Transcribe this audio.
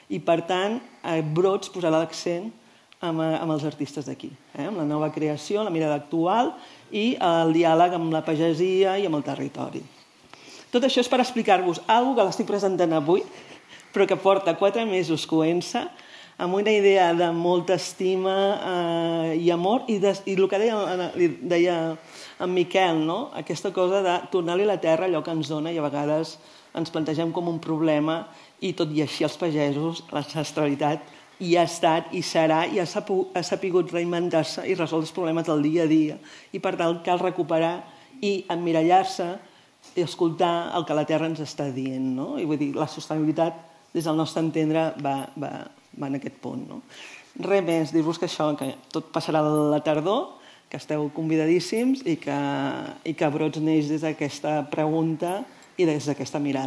i, per tant, Brots posarà l'accent amb els artistes d'aquí, amb la nova creació, la mirada actual i el diàleg amb la pagesia i amb el territori. Tot això és per explicar-vos alguna cosa que l'estic presentant avui, però que porta 4 mesos coent-se, amb una idea de molta estima i amor, i el que deia en Miquel, aquesta cosa de tornar-li a la terra allò que ens dona, i a vegades ens plantegem com un problema, i tot i així els pagesos, l'ancestralitat hi ha estat, hi serà, i ha sapigut reinventar-se i resoldre els problemes del dia a dia. I per tant cal recuperar i emmirallar-se i escoltar el que la terra ens està dient. I vull dir, la sostenibilitat, des del nostre entendre, va en aquest punt. Res més, dir-vos que això, que tot passarà a la tardor, que esteu convidadíssims i que Brots neix des d'aquesta pregunta i des d'aquesta mirada.